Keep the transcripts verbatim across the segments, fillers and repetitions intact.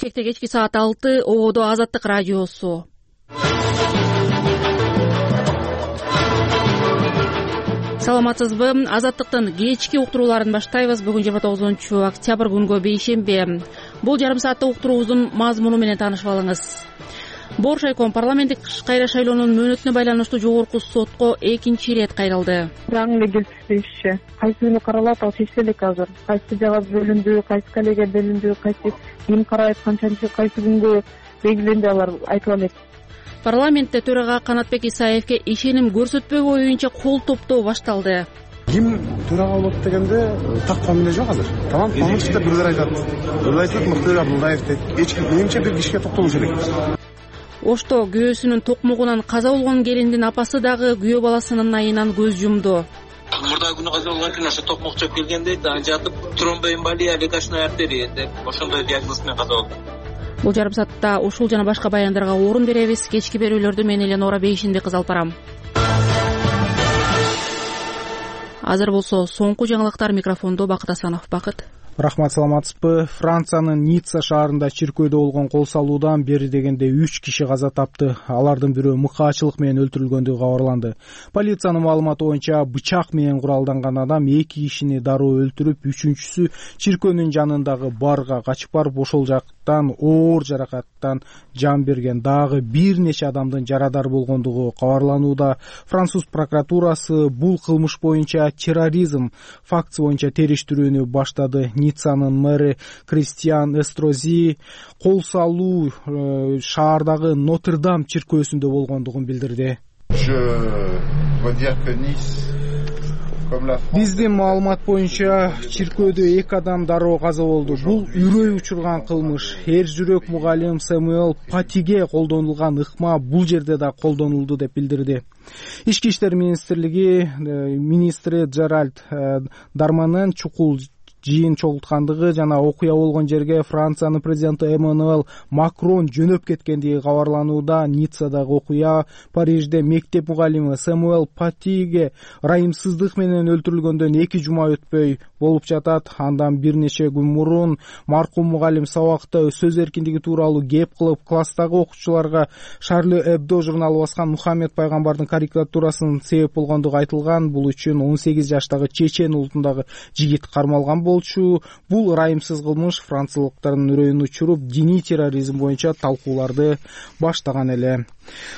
Бишкекте кечки саат алты, ободо Азаттык радиосу. Саламатсызбы? Азаттыктын кечки уктурууларын баштайбыз. Бүгүн жыйырма тогузунчу октябрь күнгө бейшемби. Бул жарым саатта уктуруубуздун мазмуну менен таанышып алыңыз. Боршайком парламенттик кайра шайлоонун мөөнөтүнө байланыштуу жогорку сотко экинчи ирет кайрылды. Заң эле келишпеши. Кайсы күнү каралат, ал чечиле элек азыр. Кайсы жага бөлүндү, кайсы коллега бөлүндү, кайсы ким карайт, канчанчы кайсы күнгө белгиленди, алар айтыла элек. Парламентте төрага Канатбек Исаевке ишеним көрсөтпөө боюнча кол топтоо башталды. Ким төрага болот дегенде так фамилия жок азыр. Тамам коммунисттер бирлер айтат. Бирлер айтат Мыктыбек Абдулдаев дейт. Эч ким менимче бир кишиге токтолуш керек. Ошто күйөөсүнүн токмогунан каза болгон келиндин апасы дагы күйөө баласынын айынан көз жумду. Мурда күнү каза болгон экен, ошо токмок чөп келгенде жатып тромбоэмболия, легочная артерия деп ошондой диагноз менен каза болду. Бул жарым саатта ушул жана башка баяндарга орун беребиз. Кечки берүүлөрдү мен Эленора Бейшинди кыз алып барам. Азыр болсо соңку жаңылыктар. Микрофондо Бакыт Асанов. Бакыт. Рахмат, саламатсызбы? Франциянын Ницца шаарында чиркөөдө болгон кол салуудан бери дегенде үч киши каза тапты. Алардын бирөө мыкаачылык менен өлтүрүлгөндүгү кабарланды. Полициянын маалыматы боюнча бычак менен куралданган адам эки кишини дароо өлтүрүп, үчүнчүсү чиркөөнүн жанындагы барга качып барып, ошол жактан оор жаракаттан жан берген. Дагы бир нече адамдын жарадар болгондугу кабарланууда. Француз прокуратурасы бул кылмыш боюнча терроризм фактысы боюнча териштирүүнү баштады. Ниццанын мэри Кристиан Эстрози кол салуу э, шаардагы Нотр-Дам чиркөөсүндө болгондугун билдирди. Биздин маалымат боюнча чиркөөдө эки адам дароо каза болду. Бул үрөй учурган кылмыш. Эр жүрөк мугалим Сэмюэл Патиге колдонулган ыкма бул жерде да колдонулду деп билдирди. Ички иштер министрлиги министри Джеральд Дарманен чукул жыйын чогулткандыгы жана окуя болгон жерге Франциянын президенти Эммануэль Макрон жөнөп кеткендиги кабарланууда. Ниццадагы окуя Парижде мектеп мугалими Сэмюэл Патиге ырайымсыздык менен өлтүрүлгөндөн эки жума өтпөй болуп жатат. Андан бир нече күн мурун маркум мугалим сабакта сөз эркиндиги тууралуу кеп кылып, класстагы окуучуларга Шарли Эбдо журналы баскан Мухаммед пайгамбардын карикатурасын себеп болгондугу айтылган. Бул үчүн он сегиз жаштагы чечен улутундагы жигит кармалган болчу. Бул ырайымсыз кылмыш франциялыктардын үрөйүн учуруп, диний терроризм боюнча талкууларды баштаган эле.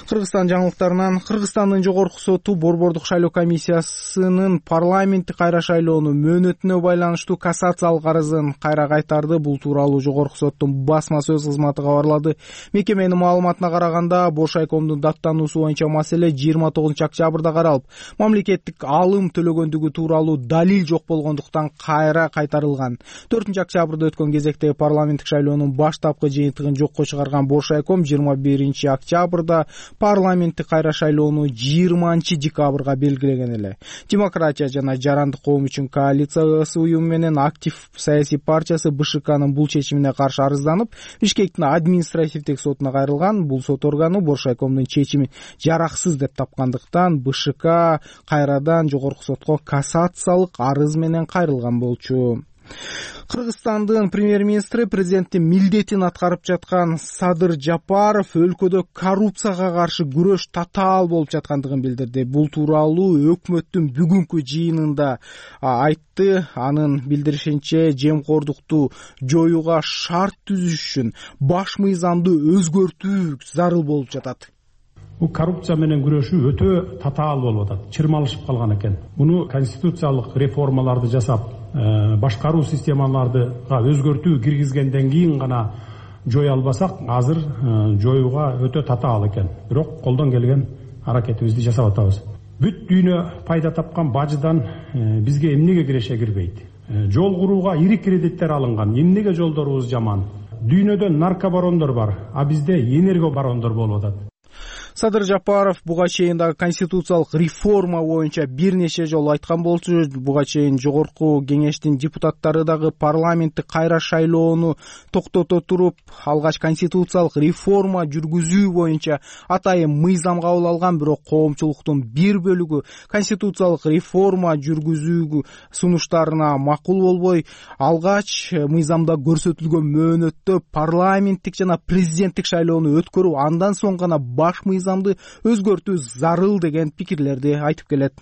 Кыргызстан жаңылыктарынан. Кыргызстандын жогорку соту Борбордук шайлоо комиссиясынын парламенттик кайра шайлоонун мөөнөтүнө байланыштуу кассациялык арызын кайра кайтарды. Бул тууралуу жогорку соттун басма сөз кызматы кабарлады. Мекеменин маалыматына караганда, Боршайкомдун даттануусу боюнча маселе жыйырма тогузунчу октябрда каралып, мамлекеттик алым төлөгөндүгү тууралуу далил жок болгондуктан кайра кайтарылган. төртүнчү октябрда өткөн кезектеги парламенттик шайлоонун баштапкы жыйынтыгын жокко чыгарган Боршайком жыйырма биринчи октябрда парламенттик кайра шайлоону жыйырманчы декабрга белгилеген эле. Демократия жана жарандык коом үчүн коалициясы уюму менен Актив саясий партиясы БШКнын бул чечимине каршы арызданып, Бишкектин административдик сотуна кайрылган. Бул сот органы Боршайкомдун чечимин жараксыз деп тапкандыктан БШК кайрадан жогорку сотко кассациялык арыз менен кайрылган болчу. Кыргызстандын премьер-министри президенттин милдетин аткарып жаткан Садыр Жапаров өлкөдө коррупцияга каршы күрөш татаал болуп жаткандыгын билдирди. Бул тууралуу өкмөттүн бүгүнкү жыйынында айтты. Анын билдиришинче, жемкордукту жоюуга шарт түзүш үчүн баш мыйзамды өзгөртүү зарыл болуп жатат. Бул коррупция менен күрөшүү өтө татаал болуп атат, чырмалышып калган экен. Муну конституциялык реформаларды жасап, башкаруу системаларыга өзгөртүү киргизгенден кийин гана жое албасак, азыр жоюуга өтө татаал экен. Бирок колдон келген аракетибизди жасап атабыз. Бүт дүйнө пайда тапкан бажыдан бизге эмнеге киреше кирбейт? Жол курууга ири кредиттер алынган. Эмнеге жолдорубуз жаман? Дүйнөдө наркобарондор бар, а бизде энергобарондор болуп атат. Садыр Жапаров буга чейин дагы конституциялык реформа боюнча бир нече жолу айткан болчу. Буга чейин жогорку кеңештин депутаттары дагы парламенттик кайра шайлоону токтото туруп, алгач конституциялык реформа жүргүзүү боюнча атайын мыйзам кабыл алган. Бирок коомчулуктун бир бөлүгү конституциялык реформа жүргүзүү сунуштарына макул болбой, алгач мыйзамда көрсөтүлгөн мөөнөттө парламенттик жана президенттик шайлоону өткөрүү, андан соң гана баш мыйзамды өзгөртүү зарыл деген пикирлерди айтып келет.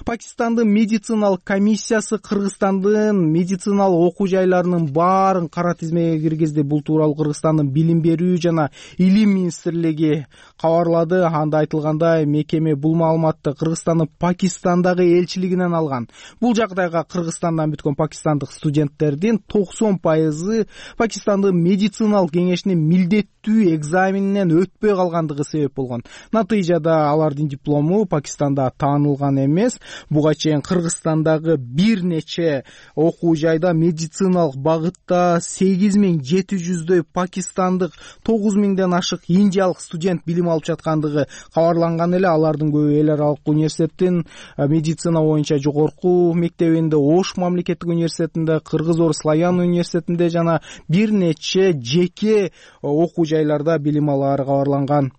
Пакистандын медициналык комиссиясы Кыргызстандын медициналык окуу жайларынын баарын кара тизмеге киргизди. Бул тууралуу Кыргызстандын билим берүү жана илим министрлиги кабарлады. Анда айтылгандай, мекеме бул маалыматты Кыргызстандын Пакистандагы элчилигинен алган. Бул жагдайга Кыргызстандан бүткөн пакистандык студенттердин токсон пайызы Пакистандын медициналык кеңешинин милдеттүү экзаменинен өтпөй калгандыгы себеп болгон. Натыйжада алардын диплому Пакистанда таанылган эмес. Буга чейин Кыргызстандагы бир нече окуу жайда медициналык багытта сегиз миң жети жүздөй пакистандык, тогуз миңден ашык индиялык студент билим алып жаткандыгы кабарланган эле. Алардын көбү эл аралык университеттин медицина боюнча жогорку мектебинде, Ош мамлекеттик университетинде, Кыргыз-Орус славян университетинде жана бир нече жеке окуу жайларда билим алары кабарланган.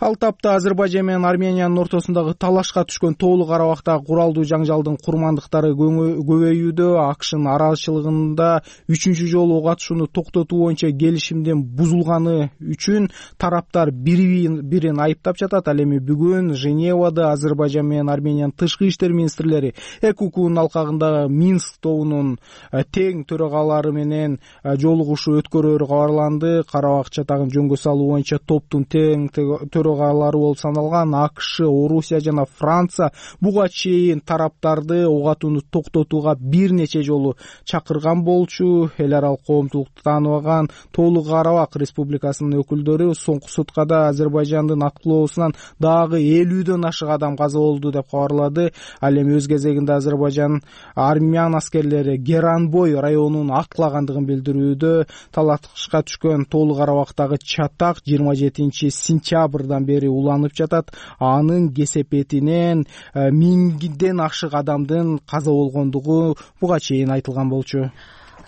Ал тапта Азербайжан менен Армениянын ортосундагы талашка түшкөн Тоолу Карабактагы куралдуу жаңжалдын курмандыктары көбөйүүдө. АКШнын аралчылыгында үчүнчү жолу ок атышууну токтотуу боюнча келишимдин бузулганы үчүн тараптар бири бирин айыптап жатат. Ал эми бүгүн Женевада Азербайжан менен Армениянын тышкы иштер министрлери ЭКУКнун алкагында Минск тобунун тең төрагалары менен жолугушуу өткөрөөрү кабарланды. Карабак чатагын жөнгө салуу боюнча топтун тең төрагалары болуп саналган АКШ, Орусия жана Франция буга чейин тараптарды ок атууну токтотууга бир нече жолу чакырган болчу. Эл аралык коомчулукту тааныбаган Тоолу Карабак Республикасынын өкүлдөрү соңку суткада Азербайжандын аткылоосунан дагы элүүдөн ашык адам каза болду деп кабарлады. Ал эми өз кезегинде Азербайжан армян аскерлери Геранбой районун аткылагандыгын билдирүүдө. Талашка түшкөн Тоолу Карабактагы чатак жыйырма жетинчи сентябрдан бери уланып жатат. Анын кесепетинен миңден ашык адамдын каза болгондугу буга чейин айтылган болчу.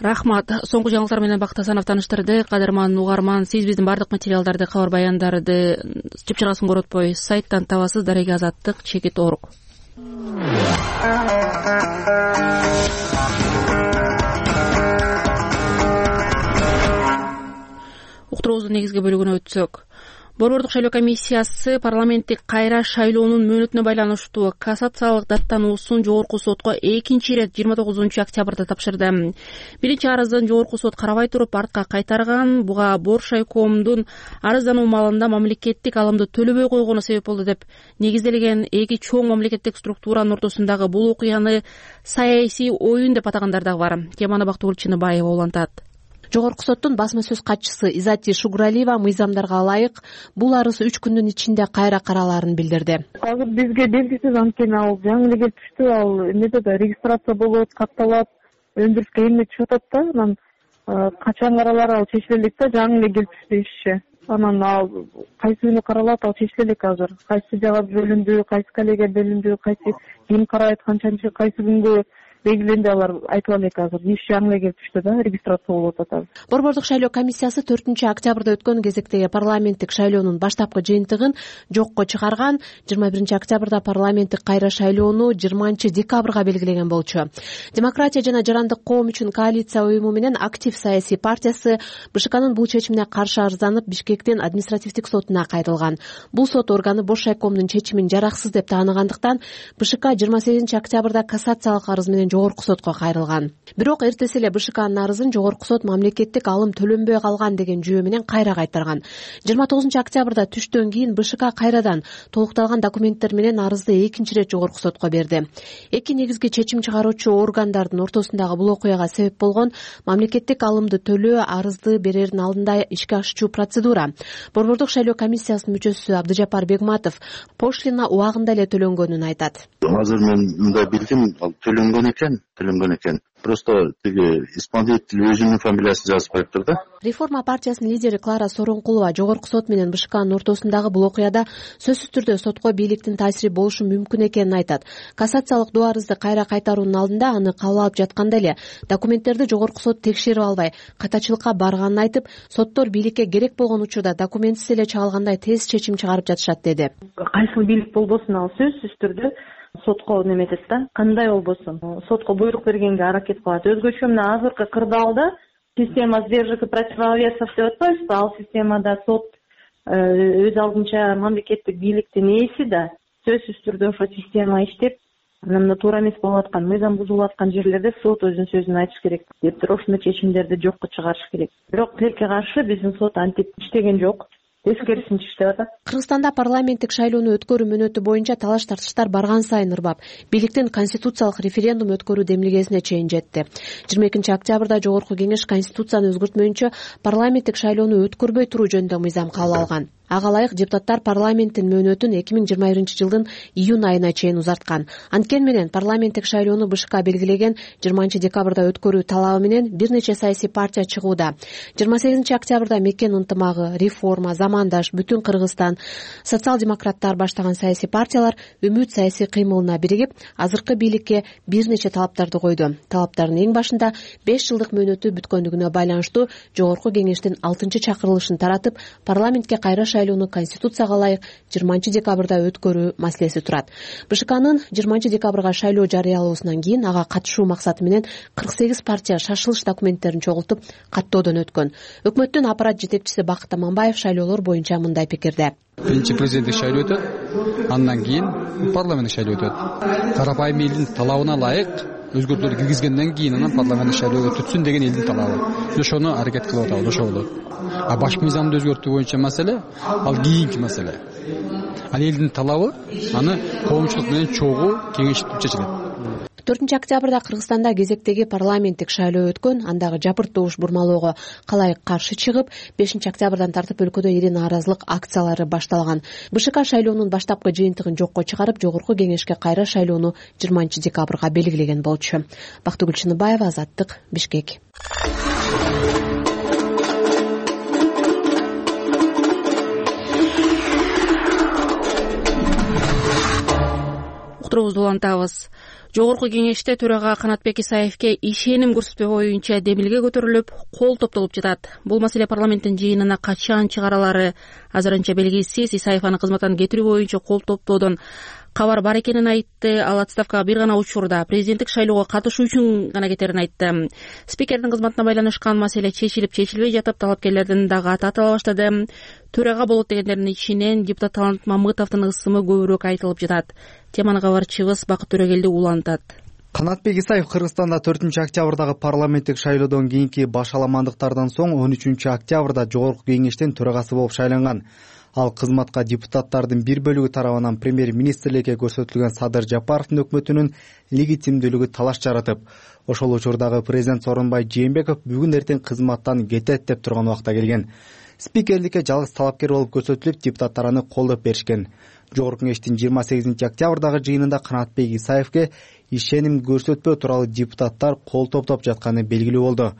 Рахмат. Соңку жаңылыктар менен Бакыт Асанов тааныштырды. Кадырман угарман, сиз биздин бардык материалдарды, кабар баяндарды чыпчыгасын коротпой сайттан табасыз. Дареги Азаттык, чекит Орук. Уктуруубуздун негизги бөлүгүнө өтсөк, Борбордук шайлоо комиссиясы парламенттик кайра шайлоонун мөөнөтүнө байланыштуу кассациялык даттануусун жогорку сотко экинчи ирет жыйырма тогузунчу октябрда тапшырды. Биринчи арызын жогорку сот карабай туруп артка кайтарган. Буга Боршайкомдун арыздануу маалында мамлекеттик алымды төлөбөй койгону себеп болду деп негизделген. Эки чоң мамлекеттик структуранын ортосундагы бул окуяны саясий оюн деп атагандар дагы бар. Теманы Бактыгүл Чыныбаева улантат. Жогорку соттун басма сөз катчысы Изати Шугуралиева мыйзамдарга ылайык бул арыз үч күндүн ичинде кайра каралаарын билдирди. Азыр бизге белгисиз, анткени ал жаңы эле келип түштү. Ал эмнеде да регистрация болот, катталат, өндүрүшкө эмне түшүп атат да. Анан качан каралар ал чечиле элек да, жаңы эле келип түштү ишчи. Анан ал кайсы күнү каралат, ал чечиле элек азыр. Кайсы жага бөлүндү, кайсы коллега бөлүндү, кайсы ким карайт, канчанчы кайсы күнгө белгиленди, алар айтып элек азыр. Иш жаңы эле келип түштү да, регистрация болуп атат. Борбордук шайлоо комиссиясы төртүнчү октябрда өткөн кезектеги парламенттик шайлоонун баштапкы жыйынтыгын жокко чыгарган. жыйырма биринчи октябрда парламенттик кайра шайлоону жыйырманчы декабрга белгилеген болчу. Демократия жана жарандык коом үчүн коалиция уюму менен Актив саясий партиясы БШКнын бул чечимине каршы арызданып Бишкектин административдик сотуна кайрылган. Бул сот органы Боршайкомдун чечимин жараксыз деп тааныгандыктан БШК жыйырма сегизинчи октябрда кассациялык арыз менен жогорку сотко кайрылган. Бирок эртеси эле БШКнын арызын жогорку сот мамлекеттик алым төлөнбөй калган деген жүйө менен кайра кайтарган. жыйырма тогузунчу октябрда түштөн кийин БШК кайрадан толукталган документтер менен арызды экинчи ирет жогорку сотко берди. Эки негизги чечим чыгаруучу органдардын ортосундагы бул окуяга себеп болгон мамлекеттик алымды төлөө арызды берердин алдында ишке ашуучу процедура. Борбордук шайлоо комиссиясынын мүчөсү Абдыжапар Бегматов пошлина убагында эле төлөнгөнүн айтат. Азыр мен мындай билдим, ал төлөнгөн экен, төлөнгөн экен. просто тиги исполнитель өзүнүн фамилиясын жазышпайыптыр да. Реформа партиясынын лидери Клара Сооронкулова жогорку сот менен БШКнын ортосундагы бул окуяда сөзсүз түрдө сотко бийликтин таасири болушу мүмкүн экенин айтат. Кассациялык доо арызды кайра кайтаруунун алдында аны кабыл алып жатканда эле документтерди жогорку сот текшерип албай катачылыкка барганын айтып, соттор бийликке керек болгон учурда документсиз эле чагылгандай тез чечим чыгарып жатышат деди. Кайсыл бийлик болбосун ал сөзсүз түрдө сотко неметет да, кандай болбосун сотко буйрук бергенге аракет кылат. Өзгөчө мына азыркы кырдаалда система сдержек и противовесов деп атпайбызбы, ал системада сот өз алдынча мамлекеттик бийликтин ээси да сөзсүз түрдө ошо система иштеп, анан туура эмес болуп аткан, мыйзам бузулуп аткан жерлерде сот өзүнүн сөзүн айтыш керек дептир, ошондой чечимдерди жокко чыгарыш керек. Бирок тилекке каршы биздин сот антип иштеген жок. Тескерисинче иштеп атат. Кыргызстанда парламенттик шайлоону өткөрүү мөөнөтү боюнча талаш тартыштар барган сайын ырбап, бийликтин конституциялык референдум өткөрүү демилгесине чейин жетти. жыйырма экинчи октябрда жогорку кеңеш конституцияны өзгөртмөйүнчө парламенттик шайлоону өткөрбөй туруу жөнүндө мыйзам кабыл алган. Ага ылайык депутаттар парламенттин мөөнөтүн эки миң жыйырма биринчи жылдын июнь айына чейин узарткан. Анткени менен парламенттик шайлоону БШК белгилеген жыйырманчы декабрда өткөрүү талабы менен бир нече саясий партия чыгууда. жыйырма сегизинчи октябрда Мекен ынтымагы, Реформа, Замандаш, Бүтүн Кыргызстан, социал-демократтар баштаган саясий партиялар Үмүт саясий кыймылына биригип, азыркы бийликке бир нече талаптарды койду. Талаптардын эң башында беш жылдык мөөнөтү бүткөндүгүнө байланыштуу жогорку кеңештин алтынчы чакырылышын таратып, парламентке кайра шайлоону конституцияга ылайык жыйырманчы декабрда өткөрүү маселеси турат. БШКнын жыйырманчы декабрга шайлоо жарыялоосунан кийин ага катышуу максаты менен кырк сегиз партия шашылыш документтерин чогултуп каттоодон өткөн. Өкмөттүн аппарат жетекчиси Бакыт Аманбаев шайлоолор боюнча мындай пикирде. Биринчи президенттик шайлоо өтөт, андан кийин парламенттик шайлоо өтөт. Карапайым элдин талабына ылайык өзгөртүүлөр киргизгенден кийин анан парламенттик шайлоо өтүтсүн деген элдин талабы. Ошону аракет кылып атабыз, ошо болот. А баш мыйзамды өзгөртүү боюнча маселе ал кийинки маселе. Ал элдин талабы, аны коомчулук менен чогуу кеңешип чечилет. төртүнчү октябрда Кыргызстанда кезектеги парламенттик шайлоо өткөн, андагы жапырт добуш бурмалоого калайык каршы чыгып, бешинчи октябрдан тартып өлкөдө ири нааразылык акциялары башталган. БШК шайлоонун баштапкы жыйынтыгын жокко чыгарып, жогорку кеңешке кайра шайлоону жыйырманчы декабрга белгилеген болчу. Бактыгүл Чыныбаева, Азаттык, Бишкек. Уктуруубузду улантабыз. Жогорку кеңеште төрага Канатбек Исаевке ишеним көрсөтпөө боюнча демилге көтөрүлүп, кол топтолуп жатат. Бул маселе парламенттин жыйынына качан чыгаралары азырынча белгисиз. Исаев аны кызматтан кетирүү боюнча кол топтоодон кабар бар экенин айтты. Ал отставкага бир гана учурда президенттик шайлоого катышуу үчүн гана кетерин айтты. Спикердин кызматына байланышкан маселе чечилип чечилбей жатып, талапкерлердин дагы аты атала баштады. Төрага болот дегендердин ичинен депутат Талант Мамытовдун ысымы көбүрөөк айтылып жатат. Теманы кабарчыбыз Бакыт Төрөгелди улантат. Канатбек Исаев Кыргызстанда төртүнчү октябрдагы парламенттик шайлоодон кийинки башаламандыктардан соң он үчүнчү октябрда жогорку кеңештин төрагасы болуп шайланган. Ал кызматка депутаттардын бир бөлүгү тарабынан премьер-министрликке көрсөтүлгөн Садыр Жапаровдун өкмөтүнүн легитимдүүлүгү талаш жаратып, ошол учурдагы президент Сооронбай Жээнбеков бүгүн эртең кызматтан кетет деп турган убакта келген. Спикерликке жалгыз талапкер болуп көрсөтүлүп, депутаттар аны колдоп беришкен. Жогорку кеңештин жыйырма сегизинчи октябрдагы жыйынында Канатбек Исаевке ишеним көрсөтпөө тууралуу депутаттар кол топтоп жатканы белгилүү болду.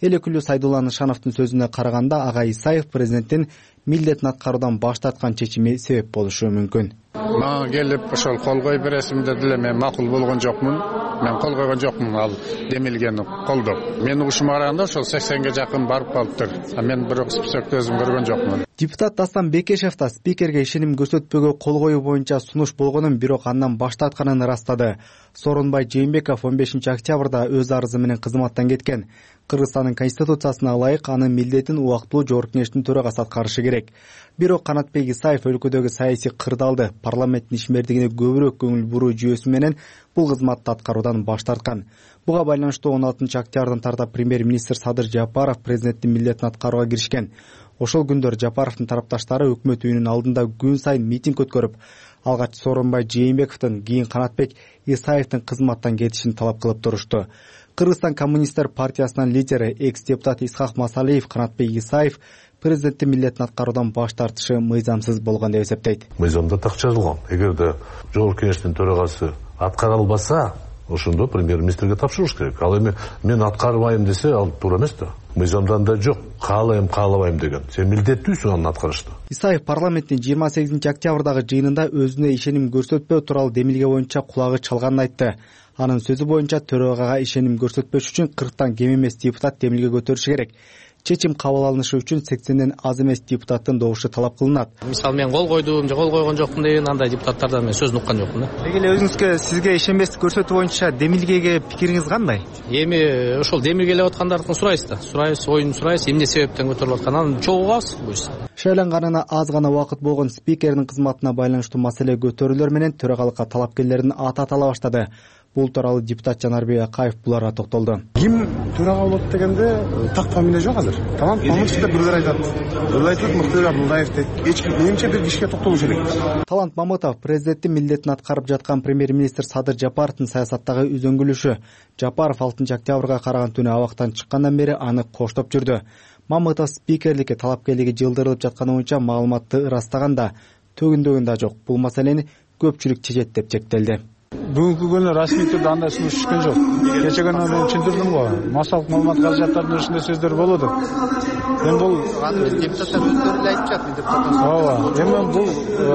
Эл өкүлү Сайдулла Нышановдун сөзүнө караганда, ага Исаев президенттин милдетин аткаруудан баш тарткан чечими себеп болушу мүмкүн. Мага келип ошол кол коюп бересиң деди эле, мен макул болгон жокмун. Мен кол койгон жокмун ал демилгени колдоп. Менин угушума караганда ошол сексенге жакын барып калыптыр. А мен бирок списокто өзүм көргөн жокмун. Депутат Дастан Бекешев да спикерге ишеним көрсөтпөөгө кол коюу боюнча сунуш болгонун, бирок андан баш тартканын ырастады. Сооронбай Жээнбеков он бешинчи октябрда өз арызы менен кызматтан кеткен. Кыргызстандын конституциясына ылайык анын милдетин убактылуу жогорку кеңештин төрагасы аткарышы керек. Бирок Канатбек Исаев өлкөдөгү саясий кырдаалды, парламенттин ишмердигине көбүрөөк көңүл буруу жүйөсү менен бул кызматты аткаруудан баш тарткан. Буга байланыштуу он алтынчы октябрдан тарта премьер-министр Садыр Жапаров президенттин милдетин аткарууга киришкен. Ошол күндөр Жапаровдун тарапташтары өкмөт үйүнүнүн алдында күн сайын митинг өткөрүп, алгач Сооронбай Жээнбековдун, кийин Канатбек Исаевдин кызматтан кетишин талап кылып турушту. Кыргызстан коммунисттер партиясынын лидери экс-депутат Исхак Масалиев Канатбек Исаев президенттин милдетин аткаруудан баш тартышы мыйзамсыз болгон деп эсептейт. Мыйзамда так жазылган. Эгерде жогорку кеңештин төрагасы аткара албаса, ошондо премьер-министрге тапшырыш керек. Ал эми мен аткарбайм десе ал туура эмес да. Мыйзамдан да жок, каалайм, каалабайм деген. Сен милдеттүүсүң аны аткарышта. Исаев парламенттин жыйырма сегизинчи октябрдагы жыйынында өзүнө ишеним көрсөтпөө тууралуу демилге боюнча кулагы чалганын айтты. Анын сөзү боюнча төрагага ишеним көрсөтпөш үчүн кырктан кем эмес депутат демилге көтөрүшү керек. Чечим кабыл алынышы үчүн сексенден аз эмес депутаттын добушу талап кылынат. Мисалы мен кол койдум же кол койгон жокмун деген андай депутаттардан мен сөзүн уккан жокмун да. Деги эле өзүңүзгө сизге ишенбестик көрсөтүү боюнча демилгеге пикириңиз кандай? Эми ошол демилгелеп аткандардын сурайбыз да. Сурайбыз, оюн сурайбыз, эмне себептен көтөрүлүп атканын анын чогулабыз буюрса. Шайланганына аз гана убакыт болгон спикердин кызматына байланыштуу маселе көтөрүүлөр менен төрагалыкка талапкерлердин аты атала баштады. Бул тууралуу депутат Жанарбек Акаев буларга токтолду. Ким төрага болот дегенде так фамилия жок азыр. Тамам, мамытовду бирлер айтат. Бирлер айтат Мыктыбек Абдулдаев деп. Эч ким менимче бир кишиге токтолуш керек. Талант Мамытов президенттин милдетин аткарып жаткан премьер-министр Садыр Жапаровдун саясаттагы үзөңгүлүшү. Жапаров алтынчы октябрга караган түнү абактан чыккандан бери аны коштоп жүрдү. Мамытов спикерликке талапкерлиги жылдырылып жатканы боюнча маалыматты ырастаганда төгүндөгүн да жок. Бул маселени көпчүлүк чечет деп чектелди. Бүгүнкү күнү расмий түрдө андай сунуш түшкөн жок. Кече күнү мен түшүндүрдүм го. Массалык маалымат каражаттарында ушундай сөздөр болот. Эми бул депутаттар өздөрү эле айтышат, депутаттар. Ооба. Эми бул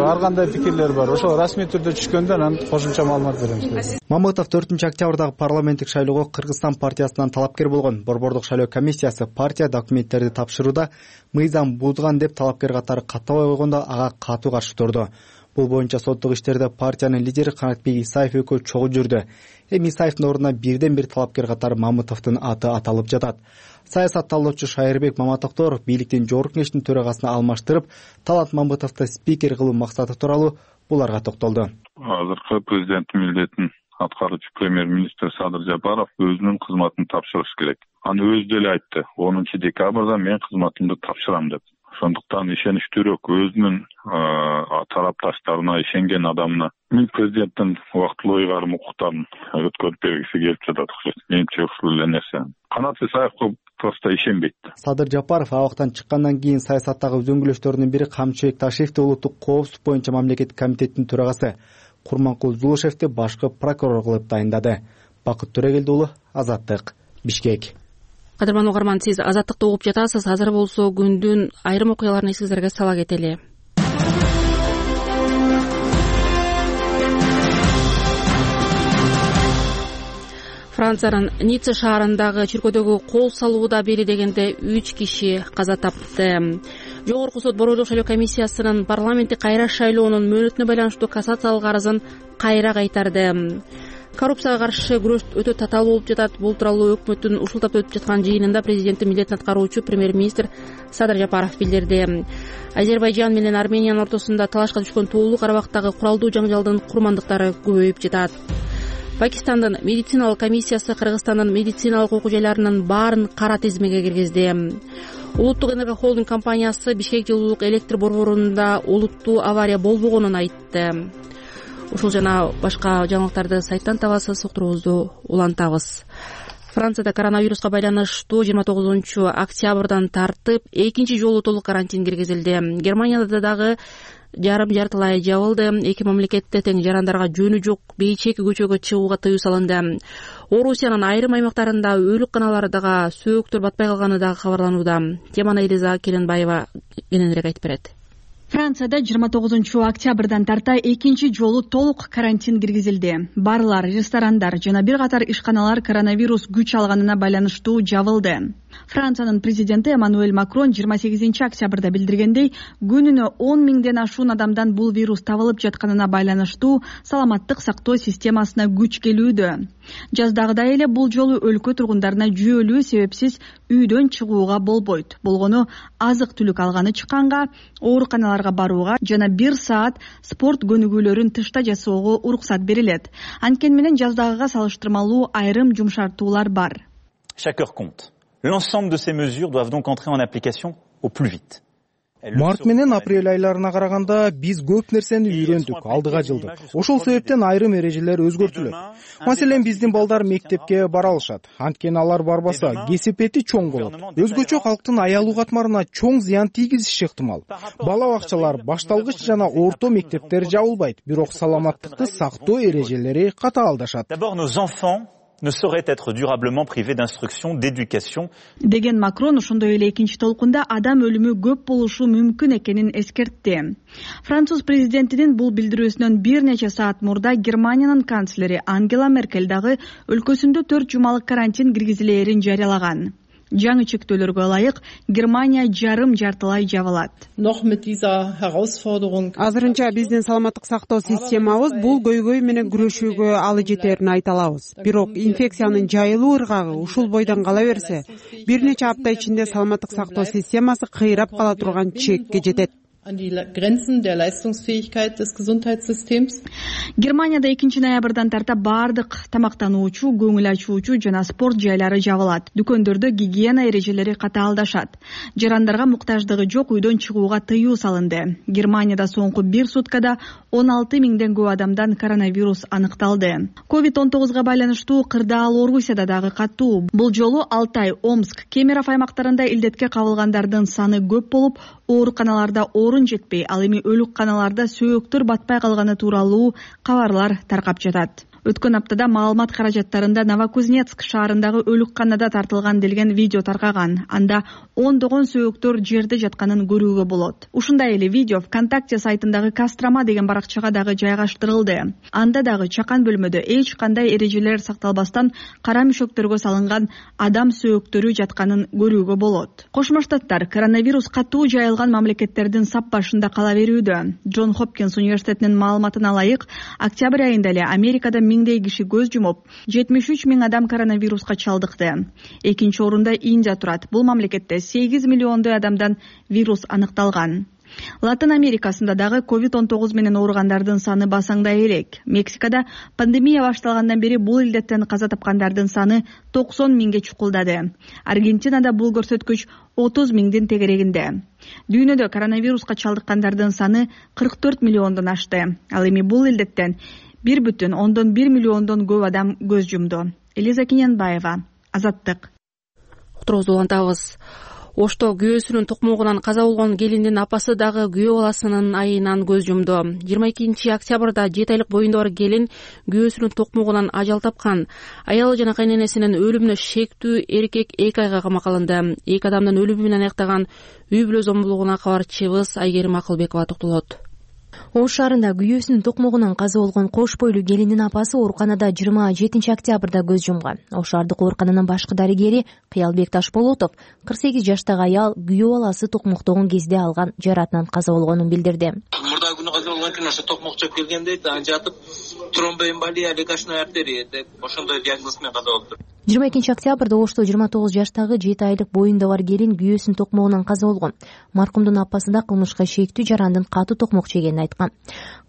ар кандай пикирлер бар. Ошол расмий түрдө түшкөндө анан кошумча маалымат беребиз. Мамытов төртүнчү октябрдагы парламенттик шайлоого Кыргызстан партиясынан талапкер болгон. Борбордук шайлоо комиссиясы партия документтерди тапшырууда мыйзам бузган деп талапкер катары каттабай койгондо ага катуу каршы турду. Бул боюнча соттук иштерде партиянын лидери Канатбек Исаев экөө чогуу жүрдү. Эми Исаевдин ордуна бирден бир талапкер катары Мамытовдун аты аталып жатат. Саясат талоочу Шайырбек Маматоктор бийликтин жогорку кеңештин төрагасына алмаштырып, Талант Мамытовду спикер кылуу максаты тууралуу буларга токтолду. Азыркы президенттин милдетин аткаруучу премьер-министр Садыр Жапаров өзүнүн кызматын тапшырыш керек. Аны өзү деле айтты. онунчу декабрда мен кызматымды тапшырам деп. Ошондуктан ишеничтүүрөөк өзүнүн тарапташтарына, ишенген адамына мен президенттин убактылуу ыйгарым укуктарын өткөрүп бергиси келип жатат. Менимче ушул эле нерсе. Канат Исаевге просто ишенбейт. Садыр Жапаров абактан чыккандан кийин саясаттагы үзөңгүлөштөрүнүн бири Камчыбек Ташиевди улуттук коопсуздук боюнча мамлекеттик комитеттин төрагасы, Курманкул Зулушевди башкы прокурор кылып дайындады. Бакыт Төрөгелди уулу, Азаттык, Бишкек. Кадырман угарман, сиз Азаттыкты угуп жатасыз. Азыр болсо күндүн айрым окуяларын эсиңиздерге сала кетели. Франциянын Ницца шаарындагы чиркөөдөгү кол салууда бели дегенде үч киши каза тапты. Жогорку сот Борбордук шайлоо комиссиясынын парламенттик кайра шайлоонун мөөнөтүнө байланыштуу кассациялык арызын кайра кайтарды. Коррупцияга каршы күрөш өтө татаал болуп жатат. Бул тууралуу өкмөттүн ушул тапта өтүп жаткан жыйынында президенттин милдетин аткаруучу премьер-министр Садыр Жапаров билдирди. Азербайжан менен Армениянын ортосунда талашка түшкөн Тоолуу Карабактагы куралдуу жаңжалдын курмандыктары көбөйүп жатат. Пакистандын медициналык комиссиясы Кыргызстандын медициналык окуу жайларынын баарын кара тизмеге киргизди. Улуттук энерго холдинг компаниясы Бишкек жылуулук электр борборунда олуттуу авария болбогонун айтты. Ушул жана башка жаңылыктарды сайттан табасыз, уктуруубузду улантабыз. Францияда коронавируска байланыштуу жыйырма тогузунчу октябрдан тартып экинчи жолу толук карантин киргизилди. Германияда дагы жарым жартылай жабылды. Эки мамлекетте тең жарандарга жөнү жок бейчеки көчөгө чыгууга тыюу салынды. Орусиянын айрым аймактарында өөлүкканалардага сөөктөр батпай калганы дагы кабарланууда. Теманы Элиза Керенбаева кененирээк айтып берет. Францияда жыйырма тогузунчу октябрдан тарта экинчи жолу толук карантин киргизилди. Барлар, ресторандар жана бир катар ишканалар коронавирус күч алганына байланыштуу жабылды. Франциянын президенти Эммануэль Макрон жыйырма сегизинчи октябрда билдиргендей, күнүнө он миңден ашуун адамдан бул вирус табылып жатканына байланыштуу саламаттык сактоо системасына күч келүүдө. Жаздагыдай эле бул жолу өлкө тургундарына жүйөлүү себепсиз үйдөн чыгууга болбойт. Болгону азык түлүк алганы чыкканга, ооруканаларга барууга жана бир саат спорт көнүгүүлөрүн тышта жасоого уруксат берилет. Анткени менен жаздагыга салыштырмалуу айрым жумшартуулар бар. Chaque heure compte. L'ensemble de ces mesures doivent donc entrer en application au plus vite. Март менен апрель айларына караганда биз көп нерсени үйрөндүк, алдыга жылдык. Ошол себептен айрым эрежелер өзгөртүлөт. Маселен, биздин балдар мектепке бара алышат. Анткени алар барбаса, кесепети чоң болот. Өзгөчө калктын аялуу катмарына чоң зыян тийгизиши ыктымал. Бала бакчалар, башталгыч жана орто мектептер жабылбайт, бирок саламаттыкты сактоо эрежелери катаалдашат. Ne saurait être durablement privé d'instruction, d'éducation. Деген Макрон ошондой эле экинчи толкунда адам өлүмү көп болушу мүмкүн экенин эскертти. Француз президентинин бул билдирүүсүнөн бир нече саат мурда Германиянын канцлери Ангела Меркель дагы өлкөсүндө төрт жумалык карантин киргизилээрин жарыялаган. Жаңы чектөөлөргө ылайык Германия жарым жартылай жабылат. Азырынча биздин саламаттык сактоо системабыз бул көйгөй менен күрөшүүгө алы жетерин айта алабыз. Бирок инфекциянын жайылуу ыргагы ушул бойдон кала берсе, бир нече апта ичинде саламаттык сактоо системасы кыйрап кала турган чекке жетет. an die Grenzen der Leistungsfähigkeit des Gesundheitssystems. Германияда экинчи ноябрдан тарта бардык тамактануучу, көңүл ачуучу жана спорт жайлары жабылат. Дүкөндөрдө гигиена эрежелери катаалдашат. Жарандарга муктаждыгы жок үйдөн чыгууга тыюу салынды. Германияда соңку бир суткада он алты миңден көп адамдан коронавирус аныкталды. ковид он тогузга байланыштуу кырдаал Орусияда дагы катуу. Бул жолу Алтай, Омск, Кемерово аймактарында илдетке кабылгандардын саны көп болуп, ооруканаларда орун жетпей, ал эми өлүкканаларда сөөктөр батпай калганы тууралуу кабарлар таркап жатат. Өткөн аптада маалымат каражаттарында Новокузнецк шаарындагы өлүкканада тартылган делген видео таркаган. Анда ондогон сөөктөр жерде жатканын көрүүгө болот. Ушундай эле видео ВКонтакте сайтындагы Кострома деген баракчага дагы жайгаштырылды. Анда дагы чакан бөлмөдө эч кандай эрежелер сакталбастан кара мөшөктөргө салынган адам сөөктөрү жатканын көрүүгө болот. Кошмо Штаттар коронавирус катуу жайылган мамлекеттердин сап башында кала берүүдө. Джон Хопкинс университетинин маалыматына ылайык, октябрь айында эле Америкада миңдей киши көз жумуп, жетимиш үч миң адам коронавируска чалдыкты. Экинчи орунда Индия турат. Бул мамлекетте сегиз миллиондой адамдан вирус аныкталган. Латын Америкасында дагы ковид он тогуз менен ооругандардын саны басаңдай элек. Мексикада пандемия башталгандан бери бул илдеттен каза тапкандардын саны токсон миңге чукулдады. Аргентинада бул көрсөткүч отуз миңдин тегерегинде. Дүйнөдө коронавируска чалдыккандардын саны кырк төрт миллиондон ашты. Ал эми бул илдеттен бир бүтүн ондон бир миллиондон көп адам көз жумду. Элиза Кинянбаева, Азаттык. Уктуруубузду улантабыз. Ошто күйөөсүнүн токмогунан каза болгон келиндин апасы дагы күйөө баласынын айынан көз жумду. жыйырма экинчи октябрда жети айлык боюнда бар келин күйөөсүнүн токмогунан ажал тапкан. Аялы жана кайненесинин өлүмүнө шектүү эркек эки айга камакка алынды. Эки адамдын өлүмү менен аяктаган үй бүлө зомбулугуна кабарчыбыз Айгерим Акылбекова токтолот. Ош шаарында күйөөсүнүн токмогунан каза болгон кош бойлуу келиндин апасы ооруканада жыйырма жетинчи октябрда көз жумган. Ош шаардык оорукананын башкы дарыгери Кыялбек Ташболотов кырк сегиз жаштагы аял күйөө баласы токмоктогон кезде алган жаратынан каза болгонун билдирди. Мурда күнү каза болгон экен, ошо токмок чөп келгенде аны жатып тромбоэмболия легочной артерия деп ошондой диагноз менен каза болду. жыйырма экинчи октябрда Ошто жыйырма тогуз жаштагы жети айлык боюнда бар келин күйөөсүнүн токмогунан каза болгон. Маркумдун апасы да кылмышка шектүү жарандын катуу токмок жегенин айткан.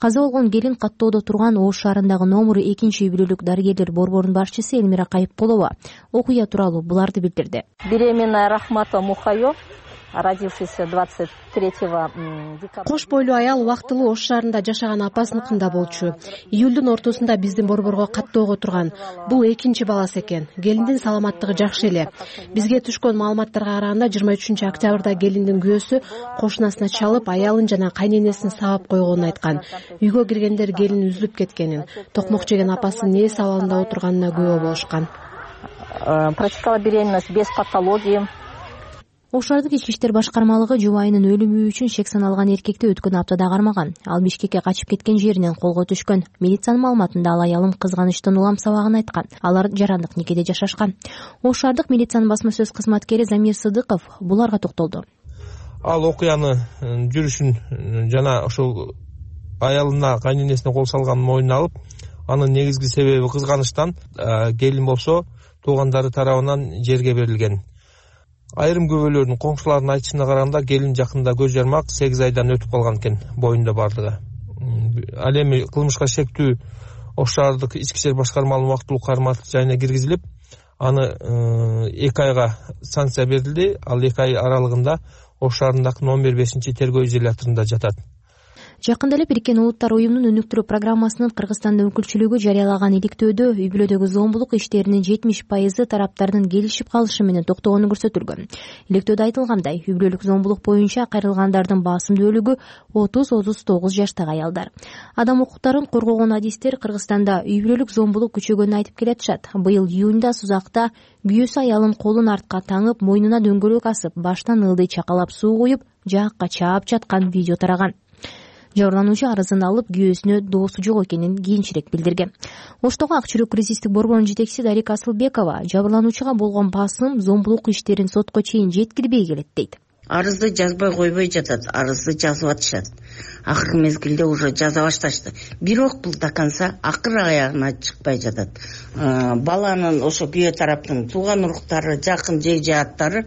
Каза болгон келин каттоодо турган Ош шаарындагы номуру экинчи үй бүлөлүк дарыгерлер борборунун башчысы Элмира Кайыпкулова окуя тууралуу буларды билдирди. Беременная Рахмата Мухаё, родившийся двадцать третьего декабря. Кош бойлуу аял убактылуу Ош шаарында жашаган апасыныкында болчу. Июлдун ортосунда биздин борборго каттоого турган. Бул экинчи баласы экен. Келиндин саламаттыгы жакшы эле. Бизге түшкөн маалыматтарга караганда жыйырма үчүнчү октябрда келиндин күйөөсү кошунасына чалып, аялын жана кайненесин сабап койгонун айткан. Үйгө киргендер келин үзүлүп кеткенин, токмок жеген апасынын ээс абалында отурганына күбө болушкан. Протекала беременность без патологии. Ош шаардык ички иштер башкармалыгы жубайынын өлүмү үчүн шек саналган эркекти өткөн аптада кармаган. Ал Бишкекке качып кеткен жеринен колго түшкөн. Милициянын маалыматында ал аялым кызганычтан улам сабагын айткан. Алар жарандык никеде жашашкан. Ош шаардык милициянын басма сөз кызматкери Замир Сыдыков буларга токтолду. Ал окуяны жүрүшүн жана ошол аялына, кайненесине кол салганын мойнуна алып, анын негизги себеби кызганычтан, келин болсо туугандары тарабынан жерге берилген. Айрым күбөлөрдүн коңшулардын айтышына караганда келин жакында көз жармак сегиз айдан өтүп калган экен, боюнда бардыгы. Ал эми кылмышка шектүү Ош шаардык ички иштер башкармалыгынын убактылуу кармак жайына киргизилип, аны эки айга санкция берилди. Ал эки ай аралыгында ош шаарындагы он бир бешинчи тергөө изоляторунда жатат. Жакында эле Бириккен Улуттар уюмунун өнүктүрүү программасынын Кыргызстанда өкүлчүлүгү жарыялаган иликтөөдө үй бүлөдөгү зомбулук иштеринин жетимиш пайызы тараптардын келишип калышы менен токтогону көрсөтүлгөн. Иликтөөдө айтылгандай, үй бүлөлүк зомбулук боюнча кайрылгандардын басым бөлүгү отуз отуз тогуз жаштагы аялдар. Адам укуктарын коргогон адистер Кыргызстанда үй бүлөлүк зомбулук күчөгөнүн айтып келатышат. Быйыл июнда Сузакта күйөөсү аялын колун артка таңып, мойнуна дөңгөлөк асып, баштан ылдый чакалап суу куюп, жаакка чаап жаткан видео тараган. Жабырлануучу арызын алып, күйөөсүнө доосу жок экенин кийинчерээк билдирген. Оштогу Ак жүрөк кризистик борборунун жетекчиси Дарика Асылбекова жабырлануучуга болгон басым зомбулук иштерин сотко чейин жеткирбей келет дейт. Арызды жазбай койбой жатат, арызды жазып атышат. Акыркы мезгилде уже жаза башташты. Бирок бул до конца акыр аягына чыкпай жатат. Баланын ошо күйөө тараптын тууган уруктары, жакын жей жааттары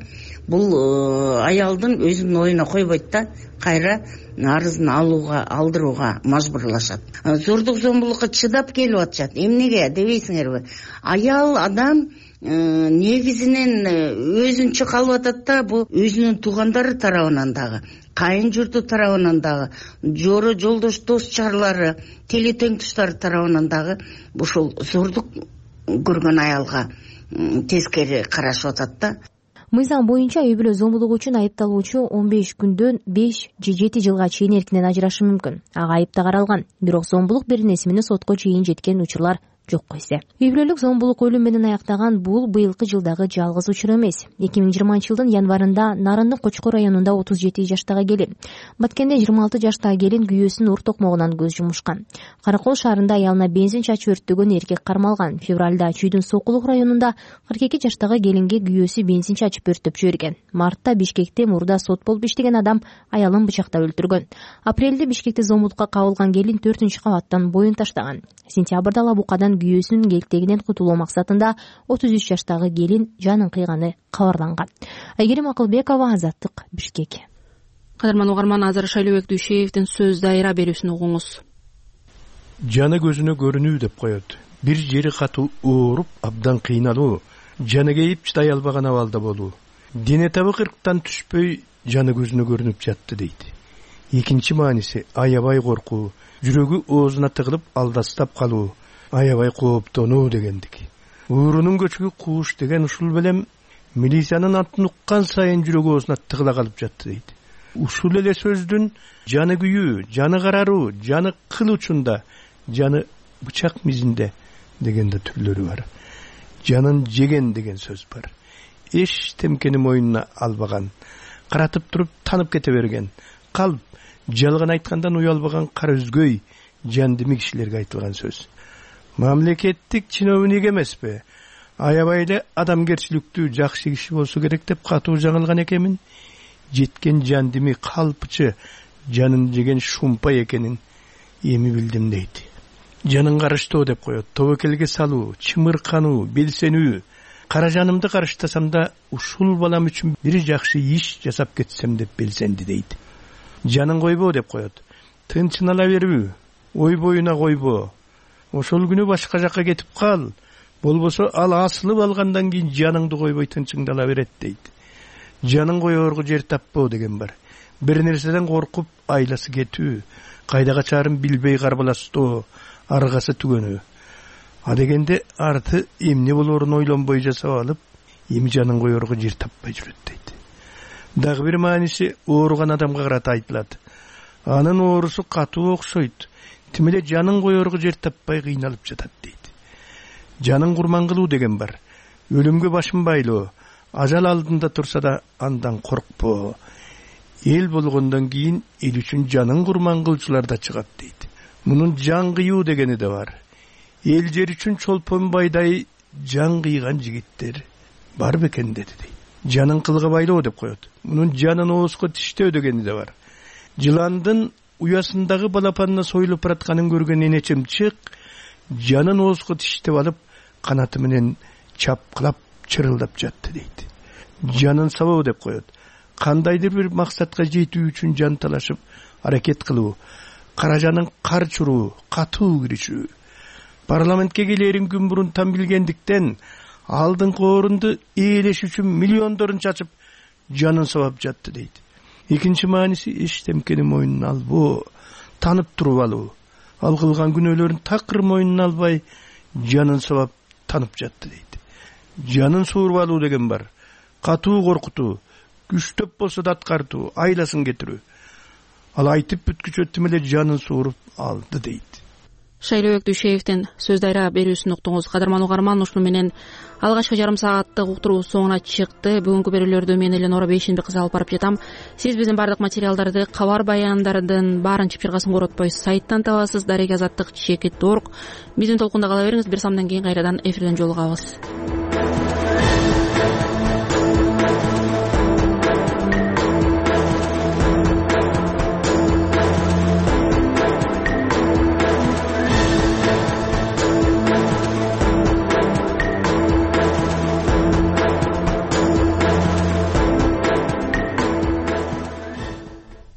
бул аялдын өзүнүн оюна койбойт да, кайра арызын алууга, алдырууга мажбурлашат. Зордук зомбулукка чыдап келип атышат. Эмнеге дебейсиңерби? Аял адам негизинен өзүнчө калып атат да, бул өзүнүн туугандары тарабынан дагы, кайын журту тарабынан дагы, жоро жолдош дос чарлары, теле теңдештери тарабынан дагы ушул зордук көргөн аялга тескери карашып атат да. Мыйзам боюнча үй бүлө зомбулугу үчүн айыпталуучу он беш күндөн беш же жети жылга чейин эркинен ажырашы мүмкүн. Ага айып да каралган. Бирок зомбулук беренеси менен сотко чейин жеткен учурлар жок койсе. Үй бүлөлүк зомбулук өлүм менен аяктаган бул быйылкы жылдагы жалгыз учур эмес. эки миң жыйырманчы жылдын январында Нарындын Кочкор районунда отуз жети жаштагы келин, Баткенде жыйырма алты жаштагы келин күйөөсүнүн ур токмогунан көз жумушкан. Каракол шаарында аялына бензин чачып өрттөгөн эркек кармалган. Февралда Чүйдүн Сокулук районунда кырк эки жаштагы келинге күйөөсү бензин чачып өрттөп жиберген. Мартта Бишкекте мурда сот болуп иштеген адам аялын бычактап өлтүргөн. Апрелде Бишкекте зомбулукка кабылган келин төртүнчү кабаттан боюн таштаган. Сентябрда Лабукадан күйөөсүнүн келтегинен кутулуу максатында отуз үч жаштагы келин жанын кыйганы кабарланган. Айгерим Акылбекова, Азаттык, Бишкек. Кадырман угарман, азыр Шайлообек Дүйшеевдин сөз дайра берүүсүн угуңуз. Жаны көзүнө көрүнүү деп коет. Бир жери катуу ооруп, абдан кыйналуу, жаны кейип чыдай албаган абалда болуу. Дене табы кырктан түшпөй жаны көзүнө көрүнүп жатты дейт. Экинчи мааниси аябай коркуу, жүрөгү оозуна тыгылып алдастап калуу, аябай кооптонуу дегендик. Уурунун көчүгү кууш деген ушул белем милициянын атын уккан сайын жүрөгү оозуна тыгыла калып жатты дейт. Ушул эле сөздүн жаны күйүү, жаны караруу, жаны кыл учунда, жаны бычак мизинде дегенде түрлөрү бар. Жанын жеген деген сөз бар. Эч темкени мойнуна албаган, каратып туруп танып кете берген, калп, жалган айткандан уялбаган кара үзгөй, жандими кишилерге айтылган сөз. Мамлекеттик чиновник эмеспи, аябай эле адамгерчиликтүү жакшы киши болсо керек деп катуу жаңылган экенмин. Жеткен жандими калпчы, жанын жеген шумпа экенин эми билдим дейт. Жанын карыштоо деп коет, тобокелге салуу, чымыркануу, белсенүү. Кара жанымды карыштасам да ушул балам үчүн бир жакшы иш жасап кетсем деп белсенди дейт. Жанын койбоо деп коет, тынчынала берүү, ой боюна койбоо. Ошол күнү башка жакка кетип кал, болбосо ал асылып алгандан кийин жаныңды койбой тынчыңдала берет дейт. Жанын коёрго жер таппоо деген бар. Бир нерседен коркуп айласы кетүү, кайда качарын билбей карбаластоо, аргасы түгөнүү. А дегенде арты эмне болоорун ойлонбой жасап алып, эми жанын коёрго жер таппай жүрөт дейт. Дагы бир мааниси ооруган адамга карата айтылат. Анын оорусу катуу окшойт. Тим эле жанын коёрго жер таппай кыйналып жатат дейт. Жанын курман кылуу деген бар. Өлүмгө башын байлоо, ажал алдында турса да андан коркпоо. Эл болгондон кийин эл үчүн жанын курман кылчулар да чыгат дейт. Мунун жан кыюу дегени да бар. Эл жер үчүн чолпон байдай жан кыйган жигиттер бар бекен деди дейт. Жанын кылга байлоо деп коет. Мунун жанын оозго тиштөө дегени да бар. Жыландын уясындагы балапанына союлуп баратканын көргөн энечем чык, жанын оозго тиштеп алып, канаты менен чапкылап чырылдап жатты дейт. Жанын сабоо деп коет. Кандайдыр бир максатка жетүү үчүн жан талашып, аракет кылуу, кара жанын кар чуруу, катуу киришүү. Парламентке келерин күн мурун там билгендиктен алдыңкы орунду ээлеш үчүн миллиондорун чачып, жанын сабап жатты дейт. экинчи мааниси эчтемкени мойнуна албоо, таанып туруп алуу. Ал кылган күнөөлөрүн такыр мойнуна албай жанын сабап танып жатты дейт. Жанын сууруп алуу деген бар. Катуу коркутуу, күчтөп болсо да аткартуу, айласын кетирүү. Ал айтып бүткүчө эле жанын сууруп алды дейт. Шайлообек Дүйшеевдин сөз дайра берүүсүн уктуңуз. Кадырман угарман, ушуну менен алгачкы жарым сааттык уктуруу соңуна чыкты. Бүгүнкү берүүлөрдү мен Эленора Бейшенбек кызы алып барып жатам. Сиз биздин бардык материалдарды, кабар баяндардын баарын чыпчыргасын коротпой сайттан табасыз. Дарек азаттык чекит орг. Биздин толкунда кала бериңиз. Бир самдан кийин кайрадан эфирден жолугабыз.